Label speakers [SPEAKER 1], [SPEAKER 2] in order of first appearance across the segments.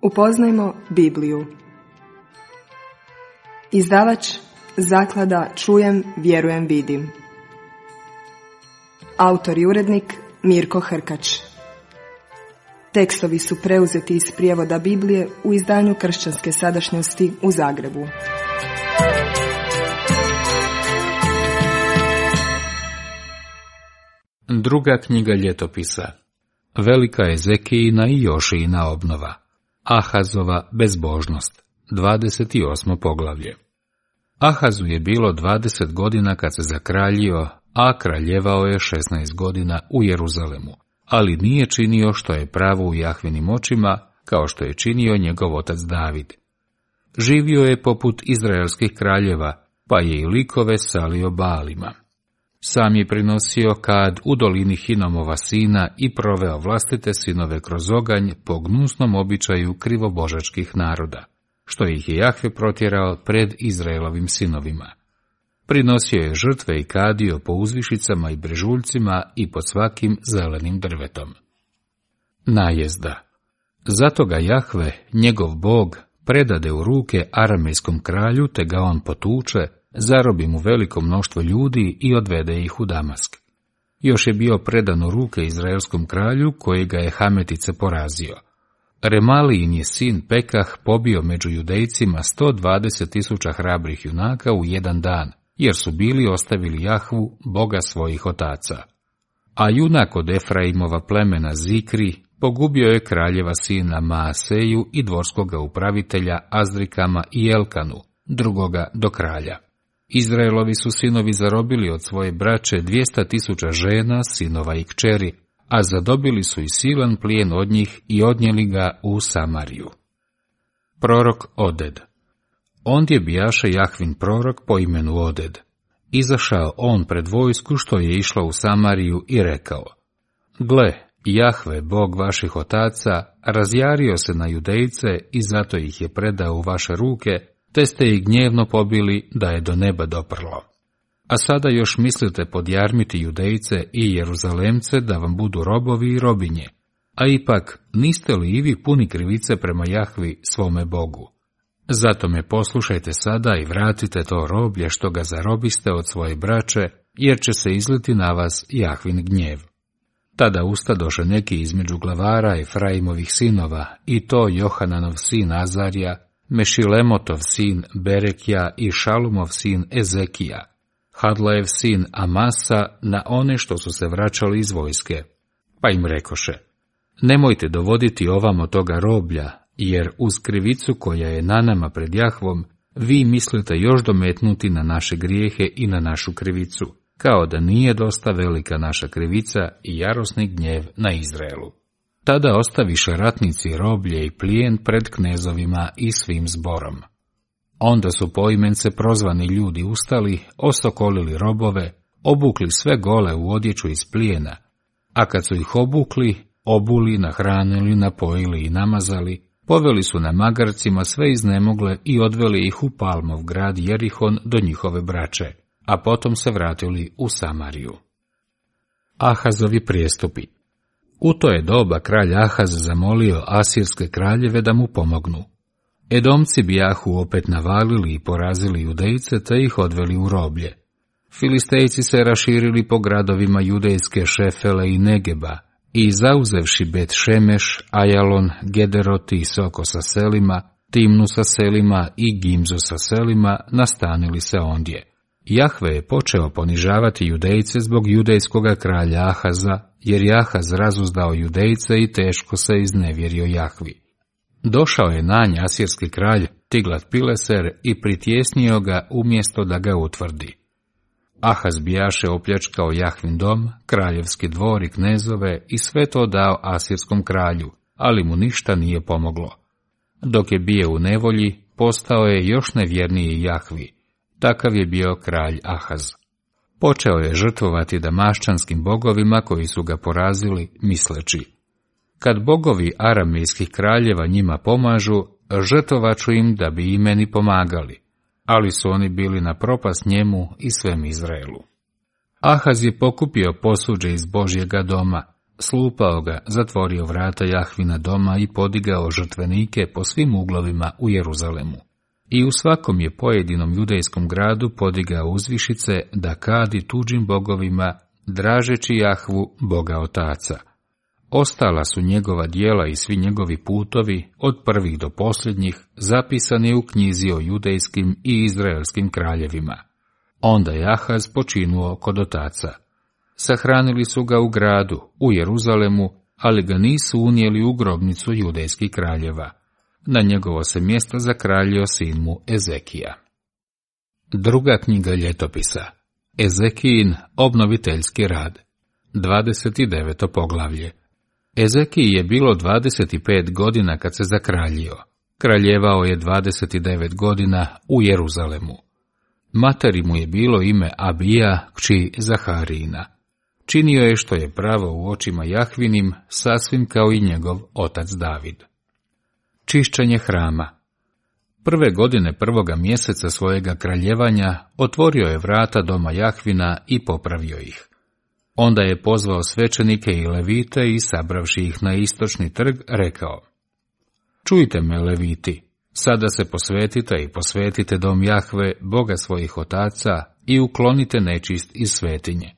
[SPEAKER 1] Upoznajmo Bibliju. Izdavač Zaklada Čujem, vjerujem, vidim. Autor i urednik Mirko Hrkač. Tekstovi su preuzeti iz prijevoda Biblije u izdanju Kršćanske sadašnjosti u Zagrebu.
[SPEAKER 2] Druga knjiga ljetopisa. Velika Ezekijina i Jošijina obnova. Ahazova bezbožnost. 28. poglavlje. Ahazu je bilo 20 godina kad se zakraljio, a kraljevao je 16 godina u Jeruzalemu, ali nije činio što je pravo u Jahvinim očima, kao što je činio njegov otac David. Živio je poput izraelskih kraljeva, pa je i likove salio Baalima. Sam je prinosio kad u dolini Hinomova sina i proveo vlastite sinove kroz oganj po gnusnom običaju krivobožačkih naroda, što ih je Jahve protjerao pred Izraelovim sinovima. Prinosio je žrtve i kadio po uzvišicama i brežuljcima i pod svakim zelenim drvetom. Najezda. Zato ga Jahve, njegov Bog, predade u ruke aramejskom kralju, te ga on potuče, zarobi mu veliko mnoštvo ljudi i odvede ih u Damask. Još je bio predan u ruke izraelskom kralju, koji ga je Hametice porazio. Remalijin je sin Pekah pobio među Judejcima 120.000 hrabrih junaka u jedan dan, jer su bili ostavili Jahvu, Boga svojih otaca. A junak od Efraimova plemena Zikri pogubio je kraljeva sina Maaseju i dvorskoga upravitelja Azrikama i Elkanu, drugoga do kralja. Izraelovi su sinovi zarobili od svoje braće 200.000 žena, sinova i kćeri, a zadobili su i silan plijen od njih i odnijeli ga u Samariju. Prorok Oded. Ondje bijaše Jahvin prorok po imenu Oded. Izašao on pred vojsku što je išla u Samariju i rekao: Gle, Jahve, Bog vaših otaca, razjario se na Judejce i zato ih je predao u vaše ruke, te ste ih gnjevno pobili da je do neba doprlo. A sada još mislite podjarmiti Judejce i Jeruzalemce da vam budu robovi i robinje, a ipak niste li i vi puni krivice prema Jahvi svome Bogu? Zato me poslušajte sada i vratite to roblje što ga zarobiste od svoje braće, jer će se izliti na vas Jahvin gnjev. Tada ustadoše neki između glavara Efraimovih sinova, i to Johananov sin Azarija, Mešilemotov sin Berekija i Šalumov sin Ezekija, Hadlajev sin Amasa, na one što su se vraćali iz vojske. Pa im rekoše: Nemojte dovoditi ovamo toga roblja, jer uz krivicu koja je na nama pred Jahvom, vi mislite još dometnuti na naše grijehe i na našu krivicu, kao da nije dosta velika naša krivica i jarosni gnjev na Izraelu. Tada ostaviše ratnici roblje i plijen pred knezovima i svim zborom. Onda su poimence prozvani ljudi ustali, osokolili robove, obukli sve gole u odjeću iz plijena, a kad su ih obukli, obuli, nahranili, napojili i namazali, poveli su na magarcima sve iznemogle i odveli ih u Palmov grad Jerihon do njihove braće, a potom se vratili u Samariju. Ahazovi prijestupi. U to je doba kralj Ahaz zamolio asirske kraljeve da mu pomognu. Edomci bijahu opet navalili i porazili Judejce te ih odveli u roblje. Filistejci se raširili po gradovima judejske Šefele i Negeba i zauzevši Bet Šemeš, Ajalon, Gederoti i Soko sa selima, Timnu sa selima i Gimzu sa selima, nastanili se ondje. Jahve je počeo ponižavati Judejce zbog judejskoga kralja Ahaza, jer je Ahaz razuzdao Judejce i teško se iznevjerio Jahvi. Došao je na nj asirski kralj Tiglat-Pileser i pritjesnio ga umjesto da ga utvrdi. Ahaz bijaše opljačkao Jahvin dom, kraljevski dvor i knezove i sve to dao asirskom kralju, ali mu ništa nije pomoglo. Dok je bio u nevolji, postao je još nevjerniji Jahvi. Takav je bio kralj Ahaz. Počeo je žrtvovati damaščanskim bogovima koji su ga porazili, misleći: Kad bogovi aramejskih kraljeva njima pomažu, žrtvovaću im da bi i meni pomagali, ali su oni bili na propast njemu i svem Izraelu. Ahaz je pokupio posuđe iz Božjega doma, slupao ga, zatvorio vrata Jahvina doma i podigao žrtvenike po svim uglovima u Jeruzalemu. I u svakom je pojedinom judejskom gradu podigao uzvišice da kadi tuđim bogovima, dražeći Jahvu, Boga Otaca. Ostala su njegova djela i svi njegovi putovi, od prvih do posljednjih, zapisani u knjizi o judejskim i izraelskim kraljevima. Onda je Ahaz počinuo kod otaca. Sahranili su ga u gradu, u Jeruzalemu, ali ga nisu unijeli u grobnicu judejskih kraljeva. Na njegovo se mjesto zakraljio sin mu Ezekija. Druga knjiga ljetopisa. Ezekijin obnoviteljski rad. 29. poglavlje. Ezekiji je bilo 25 godina kad se zakraljio. Kraljevao je 29 godina u Jeruzalemu. Materi mu je bilo ime Abija, kći Zaharijina. Činio je što je pravo u očima Jahvinim, sasvim kao i njegov otac David. Čišćenje hrama. Prve godine prvoga mjeseca svojega kraljevanja otvorio je vrata doma Jahvina i popravio ih. Onda je pozvao svećenike i levite i sabravši ih na istočni trg rekao: Čujte me, leviti, sada se posvetite i posvetite dom Jahve, Boga svojih otaca, i uklonite nečist iz svetinje.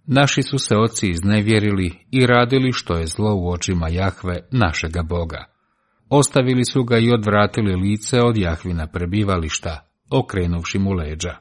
[SPEAKER 2] Naši su se oci iznevjerili i radili što je zlo u očima Jahve, našega Boga. Ostavili su ga i odvratili lice od Jahvina prebivališta, okrenuvši mu leđa.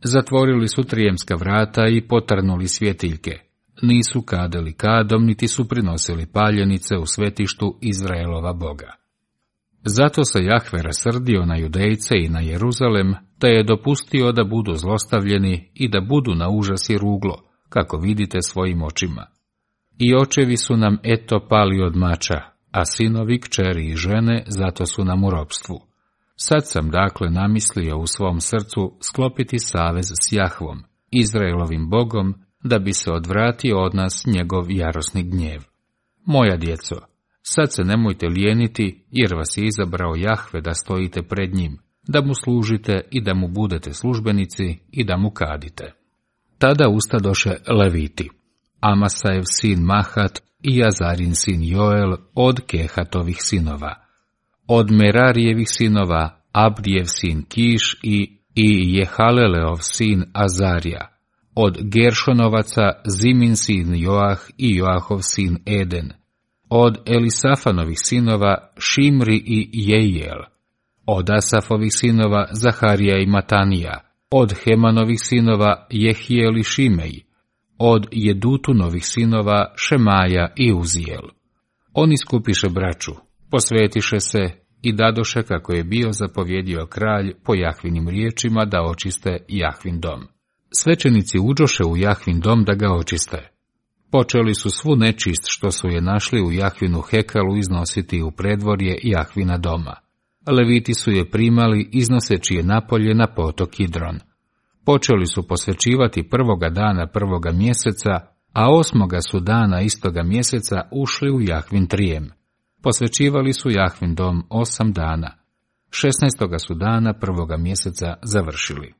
[SPEAKER 2] Zatvorili su trijemska vrata i potrnuli svjetiljke. Nisu kadili kadom, niti su prinosili paljenice u svetištu Izraelova Boga. Zato se Jahve rasrdio na Judejce i na Jeruzalem, te je dopustio da budu zlostavljeni i da budu na užas i ruglo, kako vidite svojim očima. I očevi su nam eto pali od mača, a sinovi, kćeri i žene zato su nam u ropstvu. Sad sam dakle namislio u svom srcu sklopiti savez s Jahvom, Izraelovim Bogom, da bi se odvratio od nas njegov jarosni gnjev. Moja djeco, sad se nemojte lijeniti, jer vas je izabrao Jahve da stojite pred njim, da mu služite i da mu budete službenici i da mu kadite. Tada ustadoše leviti, Amasajev sin Mahat i Jazarin sin Joel od Kehatovih sinova, od Merarijevih sinova Abdijev sin Kiš i Jehaleleov sin Azarija, od Geršonovaca Zimin sin Joah i Joahov sin Eden, od Elisafanovih sinova Šimri i Jejel, od Asafovih sinova Zaharija i Matanija, od Hemanovih sinova Jehijel i Šimej, od Jedutunovih sinova Šemaja i Uzijel. Oni skupiše braću, posvetiše se i dadoše kako je bio zapovjedio kralj po Jahvinim riječima da očiste Jahvin dom. Svećenici uđoše u Jahvin dom da ga očiste. Počeli su svu nečist što su je našli u Jahvinu hekalu iznositi u predvorje Jahvina doma. Leviti su je primali iznoseći je napolje na potok Kidron. Počeli su posvećivati prvoga dana prvoga mjeseca, a 8. su dana istoga mjeseca ušli u Jahvin trijem. Posvećivali su Jahvin dom 8 dana. 16. su dana prvoga mjeseca završili.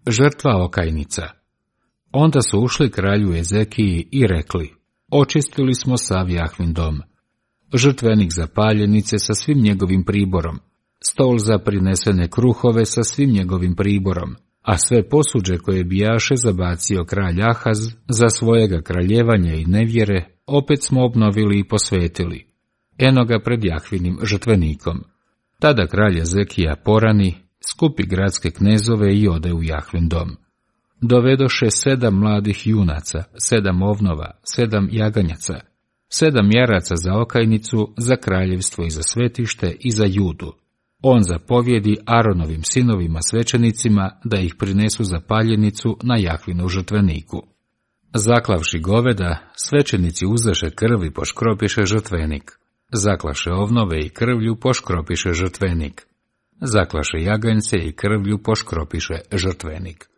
[SPEAKER 2] Žrtva okajnica. Onda su ušli kralju Ezekiji i rekli: Očistili smo sav Jahvin dom. Žrtvenik za paljenice sa svim njegovim priborom, stol za prinesene kruhove sa svim njegovim priborom, a sve posuđe koje bijaše zabacio kralj Ahaz za svojega kraljevanja i nevjere, opet smo obnovili i posvetili. Eno ga pred Jahvinim žrtvenikom. Tada kralj Ezekija porani, skupi gradske knezove i ode u Jahvin dom. Dovedoše 7 mladih junaca, 7 ovnova, 7 jaganjaca, 7 jaraca za okajnicu, za kraljevstvo i za svetište i za Judu. On zapovjedi Aronovim sinovima svećenicima da ih prinesu za paljenicu na Jahvinu žrtveniku. Zaklavši goveda, svećenici uzeše krv i poškropiše žrtvenik. Zaklaše ovnove i krvlju poškropiše žrtvenik. Zaklaše jaganjce i krvlju poškropiše žrtvenik.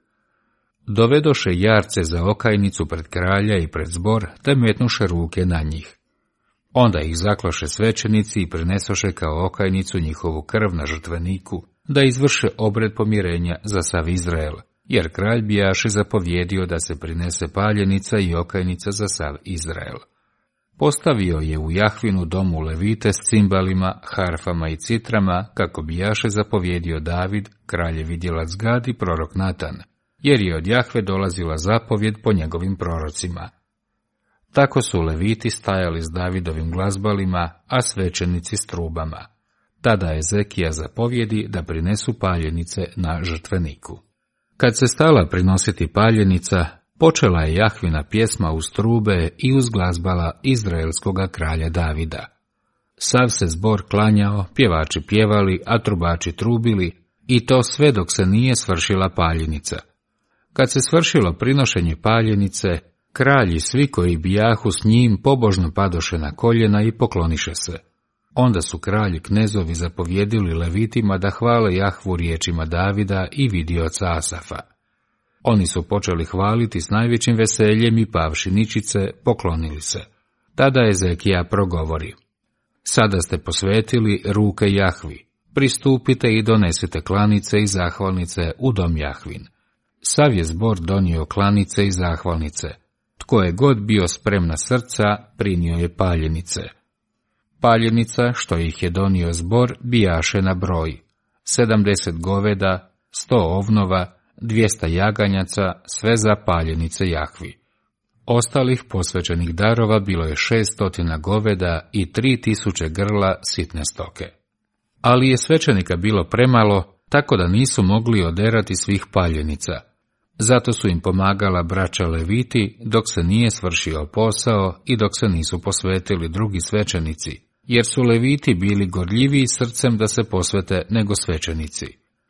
[SPEAKER 2] Dovedoše jarce za okajnicu pred kralja i pred zbor, te metnuše ruke na njih. Onda ih zaklaše svećenici i prinesoše kao okajnicu njihovu krv na žrtveniku, da izvrše obred pomirenja za sav Izrael, jer kralj bijaše zapovjedio da se prinese paljenica i okajnica za sav Izrael. Postavio je u Jahvinu domu levite s cimbalima, harfama i citrama, kako bijaše zapovjedio David, kraljevi djelac Gad i prorok Natan, jer je od Jahve dolazila zapovjed po njegovim prorocima. Tako su leviti stajali s Davidovim glazbalima, a svećenici s trubama. Tada je Ezekija zapovjedi da prinesu paljenice na žrtveniku. Kad se stala prinositi paljenica, počela je Jahvina pjesma uz trube i uz glazbala izraelskoga kralja Davida. Sav se zbor klanjao, pjevači pjevali, a trubači trubili, i to sve dok se nije svršila paljenica. Kad se svršilo prinošenje paljenice, kralj i svi koji bijahu s njim pobožno padoše na koljena i pokloniše se. Onda su kralj i knezovi zapovjedili levitima da hvale Jahvu riječima Davida i vidioca Asafa. Oni su počeli hvaliti s najvećim veseljem i pavši ničice, poklonili se. Tada Ezekija progovori: Sada ste posvetili ruke Jahvi, pristupite i donesite klanice i zahvalnice u dom Jahvin. Sav je zbor donio klanice i zahvalnice. Tko je god bio spremna srca, prinio je paljenice. Paljenica, što ih je donio zbor, bijaše na broj: 70 goveda, 100 ovnova, 200 jaganjaca, sve za paljenice Jahvi. Ostalih posvećenih darova bilo je 600 goveda i 3000 grla sitne stoke. Ali je svećenika bilo premalo, tako da nisu mogli oderati svih paljenica. Zato su im pomagala braća leviti dok se nije svršio posao i dok se nisu posvetili drugi svećenici, jer su leviti bili gorljiviji srcem da se posvete nego svećenici.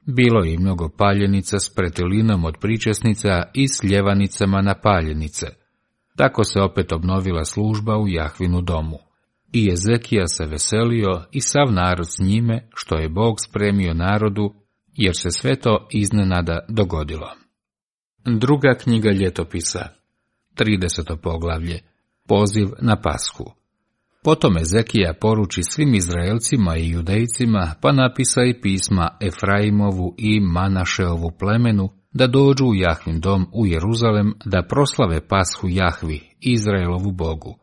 [SPEAKER 2] Bilo je i mnogo paljenica s pretilinom od pričesnica i s ljevanicama na paljenice. Tako se opet obnovila služba u Jahvinu domu. I Ezekija se veselio i sav narod s njime, što je Bog spremio narodu, jer se sve to iznenada dogodilo. Druga knjiga ljetopisa, 30. poglavlje, poziv na Pashu. Potom Ezekija poruči svim Izraelcima i Judejcima, pa napisa i pisma Efraimovu i Manašeovu plemenu, da dođu u Jahvin dom u Jeruzalem, da proslave Pashu Jahvi, Izraelovu Bogu.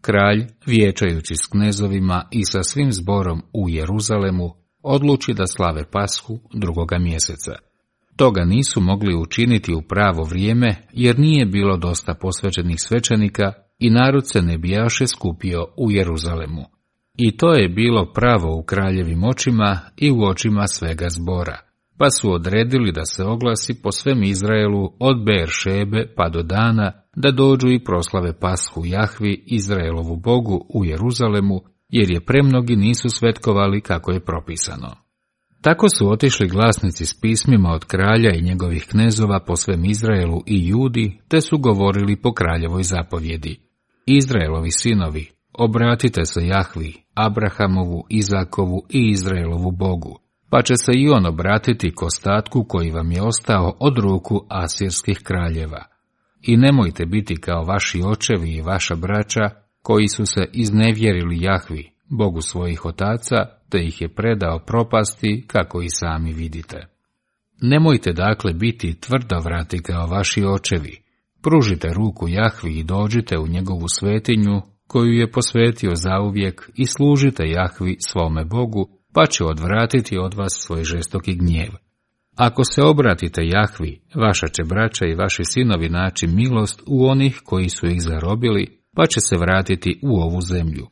[SPEAKER 2] Kralj, vijećajući s knezovima i sa svim zborom u Jeruzalemu, odluči da slave Pashu 2. mjeseca. Toga nisu mogli učiniti u pravo vrijeme, jer nije bilo dosta posvećenih svećenika i narod se ne bijaše skupio u Jeruzalemu. I to je bilo pravo u kraljevim očima i u očima svega zbora, pa su odredili da se oglasi po svem Izraelu od Beer-šebe pa do Dana, da dođu i proslave Pashu Jahvi, Izraelovu Bogu, u Jeruzalemu, jer je premnogi nisu svetkovali kako je propisano. Tako su otišli glasnici s pismima od kralja i njegovih knezova po svem Izraelu i Judi, te su govorili po kraljevoj zapovjedi: Izraelovi sinovi, obratite se Jahvi, Abrahamovu, Izakovu i Izraelovu Bogu, pa će se i on obratiti k ostatku koji vam je ostao od ruku asirskih kraljeva. I nemojte biti kao vaši očevi i vaša braća, koji su se iznevjerili Jahvi, Bogu svojih otaca, te ih je predao propasti, kako i sami vidite. Nemojte dakle biti tvrdovrati kao vaši očevi. Pružite ruku Jahvi i dođite u njegovu svetinju, koju je posvetio zauvijek, i služite Jahvi svome Bogu, pa će odvratiti od vas svoj žestoki gnjev. Ako se obratite Jahvi, vaša će braća i vaši sinovi naći milost u onih koji su ih zarobili, pa će se vratiti u ovu zemlju.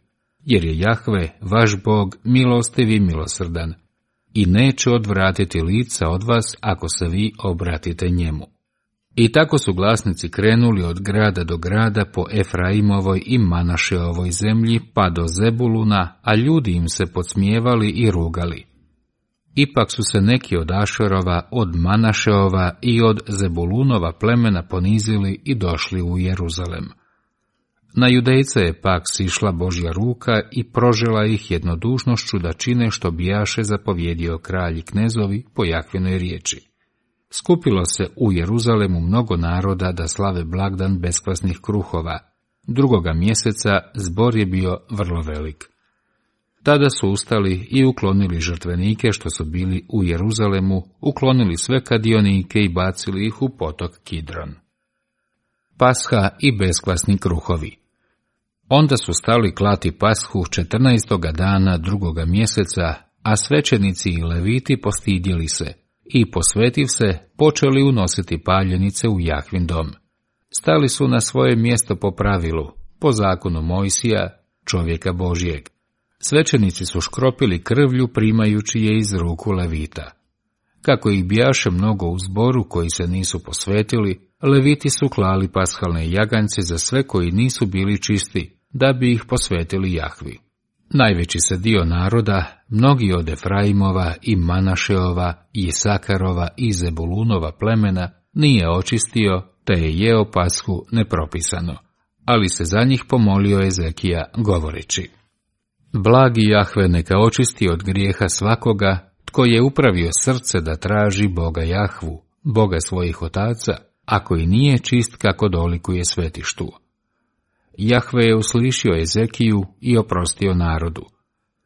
[SPEAKER 2] Jer je Jahve, vaš Bog, milostiv i milosrdan, i neće odvratiti lica od vas ako se vi obratite njemu. I tako su glasnici krenuli od grada do grada po Efraimovoj i Manašeovoj zemlji pa do Zebuluna, a ljudi im se podsmijevali i rugali. Ipak su se neki od Ašerova, od Manašeova i od Zebulunova plemena ponizili i došli u Jeruzalem. Na Judejce je pak sišla Božja ruka i prožela ih jednodušnošću da čine što bijaše zapovjedio kralj i knezovi po Jahvinoj riječi. Skupilo se u Jeruzalemu mnogo naroda da slave blagdan beskvasnih kruhova. 2. mjeseca zbor je bio vrlo velik. Tada su ustali i uklonili žrtvenike što su bili u Jeruzalemu, uklonili sve kadionike i bacili ih u potok Kidron. Pasha i beskvasni kruhovi. Onda su stali klati pashu 14. dana 2. mjeseca, a svećenici i leviti postidjeli se i posvetiv se počeli unositi paljenice u Jahvin dom. Stali su na svoje mjesto po pravilu, po zakonu Mojsija, čovjeka Božjeg. Svećenici su škropili krvlju primajući je iz ruku levita. Kako ih bijaše mnogo u zboru koji se nisu posvetili, leviti su klali pashalne jagance za sve koji nisu bili čisti, da bi ih posvetili Jahvi. Najveći se dio naroda, mnogi od Efraimova i Manašeova i Isakarova i Zebulunova plemena, nije očistio, te je jeo pashu nepropisano, ali se za njih pomolio Ezekija govoreći: Blagi Jahve neka očisti od grijeha svakoga, tko je upravio srce da traži Boga Jahvu, Boga svojih otaca, ako i nije čist kako dolikuje svetištu. Jahve je uslišio Ezekiju i oprostio narodu.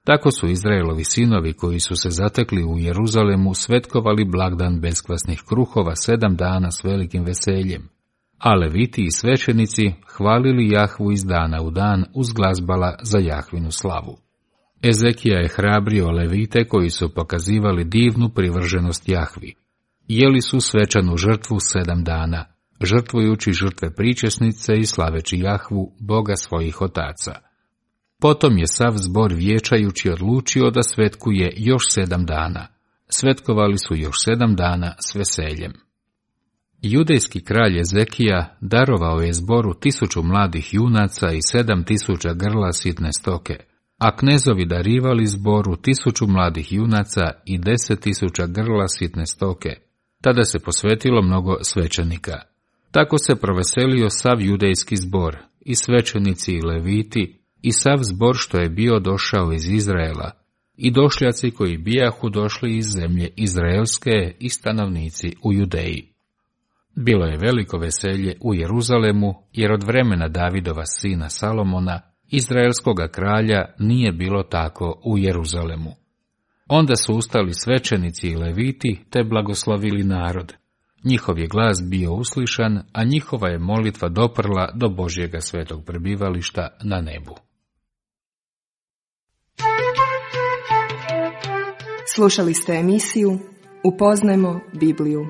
[SPEAKER 2] Tako su Izraelovi sinovi koji su se zatekli u Jeruzalemu svetkovali blagdan beskvasnih kruhova 7 dana s velikim veseljem, a leviti i svećenici hvalili Jahvu iz dana u dan uz glazbala za Jahvinu slavu. Ezekija je hrabrio levite koji su pokazivali divnu privrženost Jahvi. Jeli su svečanu žrtvu 7 dana, žrtvujući žrtve pričesnice i slaveći Jahvu, Boga svojih otaca. Potom je sav zbor vijećajući odlučio da svetkuje još 7 dana. Svetkovali su još 7 dana s veseljem. Judejski kralj Ezekija darovao je zboru 1000 mladih junaca i 7000 grla sitne stoke, a knezovi darivali zboru 1000 mladih junaca i 10.000 grla sitne stoke. Tada se posvetilo mnogo svećenika. Tako se proveselio sav judejski zbor, i svećenici i leviti, i sav zbor što je bio došao iz Izraela, i došljaci koji bijahu došli iz zemlje izraelske i stanovnici u Judeji. Bilo je veliko veselje u Jeruzalemu, jer od vremena Davidova sina Salomona, izraelskoga kralja, nije bilo tako u Jeruzalemu. Onda su ustali svećenici i leviti, te blagoslovili narod. Njihov je glas bio uslišan, a njihova je molitva doprla do Božjega svetog prebivališta na nebu.
[SPEAKER 1] Slušali ste emisiju Upoznajmo Bibliju.